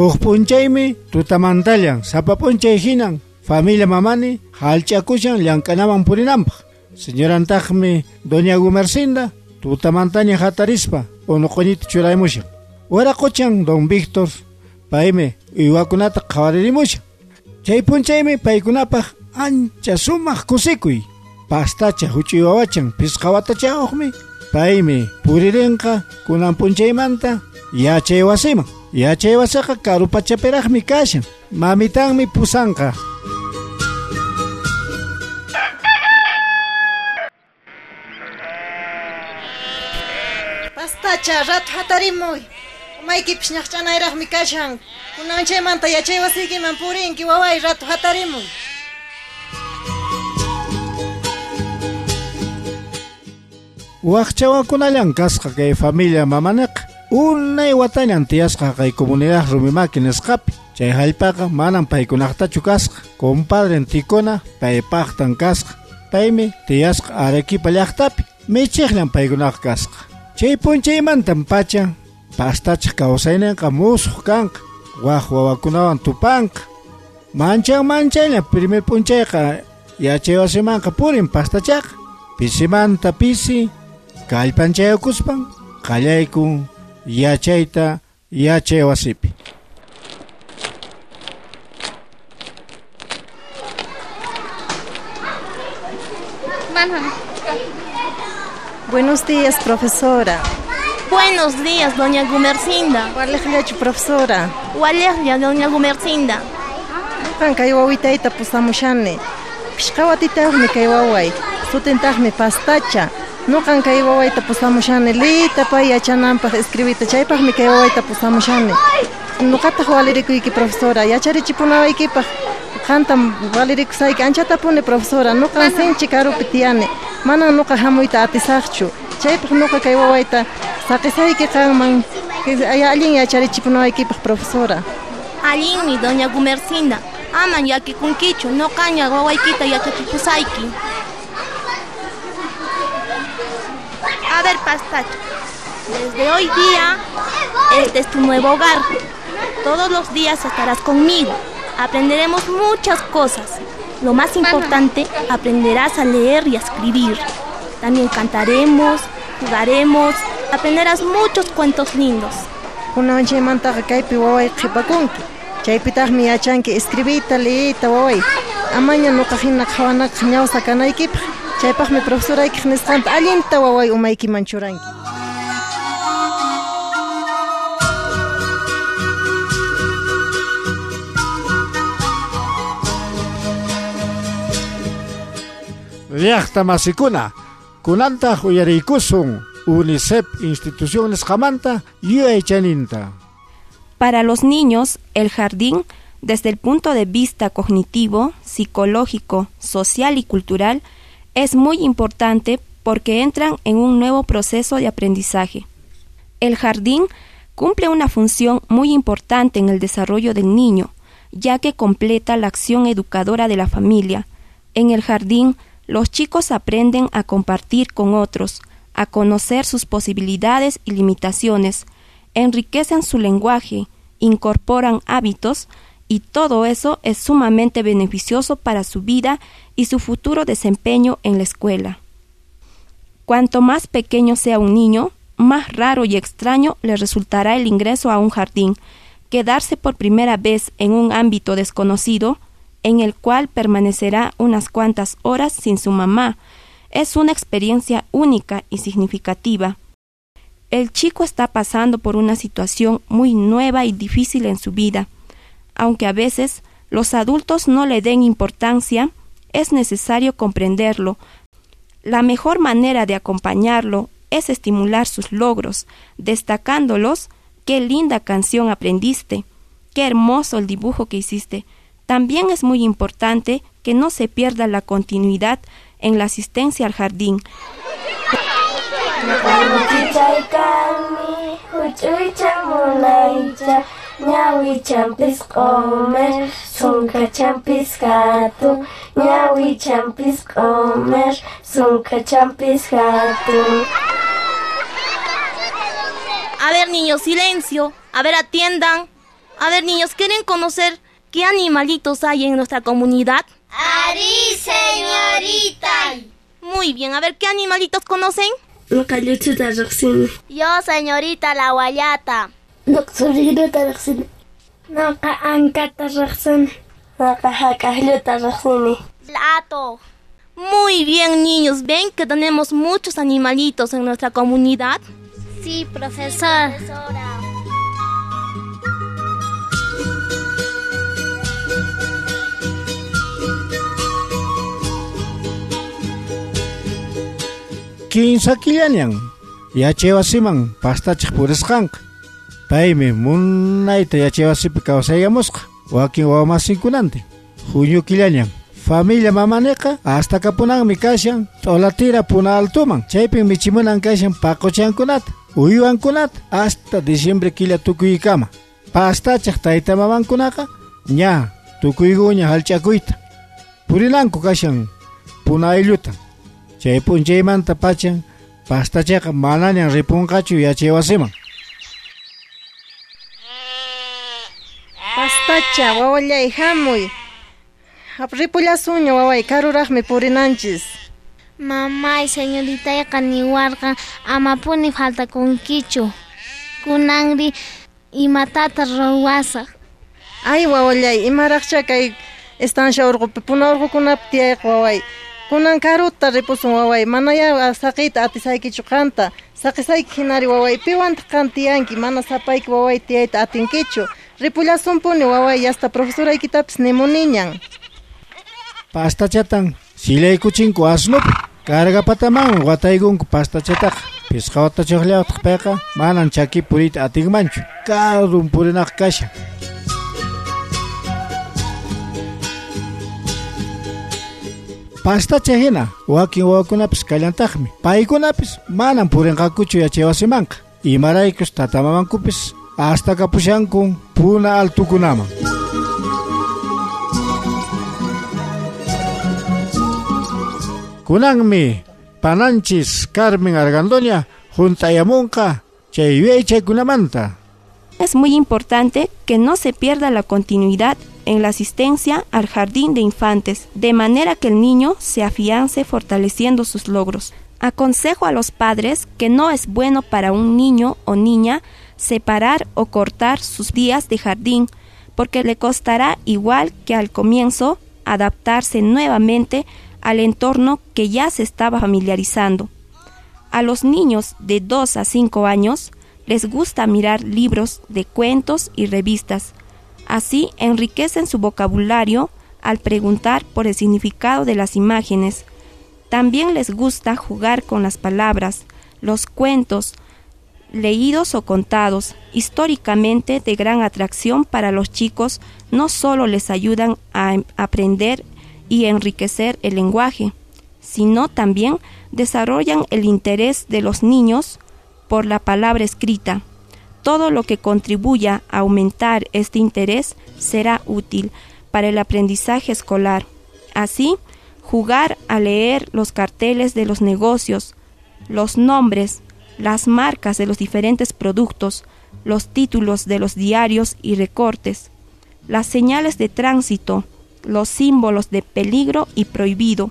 Huk p'unchaymi tutamantallan sapa p'unchay hinan familia Mamani hallch'akushan llank'anaman purinanpaq. Señorantaqmi doña Gumercinda tutamantaña hatarispa unuq'uñita churaymushan. Waraquchan don Víctor paymi uywakunata qhawaririmushan. Chay p'unchaymi paykunapaq ancha sumaq kusikuy. Pastacha huch'uy wawachan pisqa watachayuqmi paymi puririnqa kunan p'unchaymanta yachay wasiman. Yachay wasiqa karu pachapiraqmi kashan. Mamitanmi pusanqa. Pastacha, rato hatarimuy. Umaykipis ñaqch'anayraqmi kashan. Kunan chaymanta yachay wasiykiman purinki, waway, rato hatarimuy. Waqchawakunallan kasqa kay familia Mamaniqa. Unay watañan tiyasqa kay comunidad Rumimaki nisqapi. Chay hallp'aqa manan paykunaqtachu kasqa. Compadren Tikuna paypaqtan kasqa. Paymi tiyasqa Arequipa llaqtapi. Michiqllan paykunaqa kasqa. Chay p'unchaymantan pacha pastachaq kawsayninqa musuq kanqa. Waq wawakunawan tupanqa. Manchan manchaylla primer p'unchayqa yachay wasimanqa purin pastachaqa. Pisimanta pisi kallpanchayakuspan qallaykun yachayta yachay wasipi. Buenos días, profesora. Buenos días, doña Gumercinda. Walejllachu, profesora. Walejlla, doña Gumercinda. Ñuqan kay wawitayta pusamushani. Pishqa watitayuqmi kay waway. Sutintaqmi Pastacha. Ñuqan kay wawayta pusamushani liyta pay yachananpaq escribiyta. Chaypaqmi kay wawayta pusamushani. Ñuqataq walirikuyki, profesora. Yacharichipunawaykipaq. Qantam walirikusayki anchatapuni, profesora. Ñuqan sinchi karupi tiyani. Manan ñuqa hamuyta atisaqchu. Chaypaq ñuqa kay wawayta saqisayki qanman. Allin yacharichipunawaykipaq, profesora. Allinmi, doña Gumercinda. Aman llakikunkichu, ñuqaña wawaykita yachachipusayki. A ver, Pastacha, desde hoy día, este es tu nuevo hogar. Todos los días estarás conmigo. Aprenderemos muchas cosas. Lo más importante, aprenderás a leer y a escribir. También cantaremos, jugaremos, aprenderás muchos cuentos lindos. Kunan chaymantaqa kaypi waway qhipakunki. Chaypitaqmi yachanki escribiyta, liyta waway. Amaña ñuqa hina qhawanaqaq ñawsa kanaykipaq. Chaypaqmi profesoraykiq nisqanta allinta waway umaykiman churanki. Llaqta masikuna, kunantaq uyariykusun UNICEF institución nisqamanta yuyaychaninta. Para los niños, el jardín, desde el punto de vista cognitivo, psicológico, social y cultural, es muy importante porque entran en un nuevo proceso de aprendizaje. El jardín cumple una función muy importante en el desarrollo del niño, ya que completa la acción educadora de la familia. En el jardín, los chicos aprenden a compartir con otros, a conocer sus posibilidades y limitaciones, enriquecen su lenguaje, incorporan hábitos y todo eso es sumamente beneficioso para su vida y su futuro desempeño en la escuela. Cuanto más pequeño sea un niño, más raro y extraño le resultará el ingreso a un jardín, quedarse por primera vez en un ámbito desconocido, en el cual permanecerá unas cuantas horas sin su mamá. Es una experiencia única y significativa. El chico está pasando por una situación muy nueva y difícil en su vida. Aunque a veces los adultos no le den importancia, es necesario comprenderlo. La mejor manera de acompañarlo es estimular sus logros, destacándolos. ¡Qué linda canción aprendiste! ¡Qué hermoso el dibujo que hiciste! También es muy importante que no se pierda la continuidad en la asistencia al jardín. A ver, niños, silencio. A ver, atiendan. A ver, niños, ¿quieren conocer qué animalitos hay en nuestra comunidad? ¡Arí, señorita! Muy bien, a ver, ¿qué animalitos conocen? Yo, señorita, la guayata. Lato. Muy bien, niños, ¿ven que tenemos muchos animalitos en nuestra comunidad? Sí, profesor. Kinsa killañan yachaywasiman pastachaq purisqanqa. Paymi munayta yachaywasipi kawsayamusqa wakin wawamasinkunantin. Junio killañan familia mamaniqa hasta kapunanmi kashan t'olatira puna altuman, chaypin michimunan kashan paquchankunata, uywankunata hasta diciembre killa tukuykama. Pastachaq tayta mamankunaqa ña tukuykuña hallch'akuyta purinanku kashan puna aylluta. Chay p'unchaymanta pachan pastachaqa manañan ripunqachu yachaywasiman. Pastacha, wawallay hamuy. Ripullasunña waway, karuraqmi purinanchis. Mamay, señoritayqa niwarqan amapuni faltakunkichu. Kunanri imatata ruwasaq. Ay wawallay, imaraqcha kay estancia urqupi puna urqukunapi tiyayqa waway. Kunan karuta ripusun waway, manaya saqiyta atisaykichu qanta. Saqisayki hinari waway, piwantaq qan tiyanki, mana sapayki waway tiyayta atinkichu. Ripullasunpuni waway, hasta profesoraykitapis nimuniñan. Pastachatan silaykuchinku asnupi, cargapataman wataykunku pastachataqa. Pisqa watachuqllawtaq payqa manan chaki puriyta atinmanchu, karun purinaq kashan. Pastacha hina wakin wawakunapis kallantaqmi, paykunapis manan purinqakuchu yachaywasimanqa. Imaraykus tatamamankupis hasta kapushankun puna altukunaman. Kunanmi pananchis Carmen Argandoña juntayamunqa chay yuyaychaykunamanta. Es muy importante que no se pierda la continuidad en la asistencia al jardín de infantes, de manera que el niño se afiance fortaleciendo sus logros. Aconsejo a los padres que no es bueno para un niño o niña separar o cortar sus días de jardín, porque le costará igual que al comienzo adaptarse nuevamente al entorno que ya se estaba familiarizando. A los niños de 2 a 5 años les gusta mirar libros de cuentos y revistas. Así enriquecen su vocabulario al preguntar por el significado de las imágenes. También les gusta jugar con las palabras, los cuentos, leídos o contados, históricamente de gran atracción para los chicos, no solo les ayudan a aprender y enriquecer el lenguaje, sino también desarrollan el interés de los niños por la palabra escrita. Todo lo que contribuya a aumentar este interés será útil para el aprendizaje escolar. Así, jugar a leer los carteles de los negocios, los nombres, las marcas de los diferentes productos, los títulos de los diarios y recortes, las señales de tránsito, los símbolos de peligro y prohibido,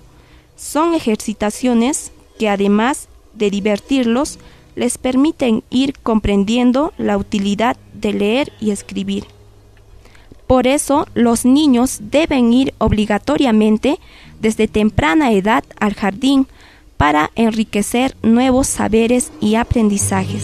son ejercitaciones que, además de divertirlos, les permiten ir comprendiendo la utilidad de leer y escribir. Por eso, los niños deben ir obligatoriamente desde temprana edad al jardín para enriquecer nuevos saberes y aprendizajes.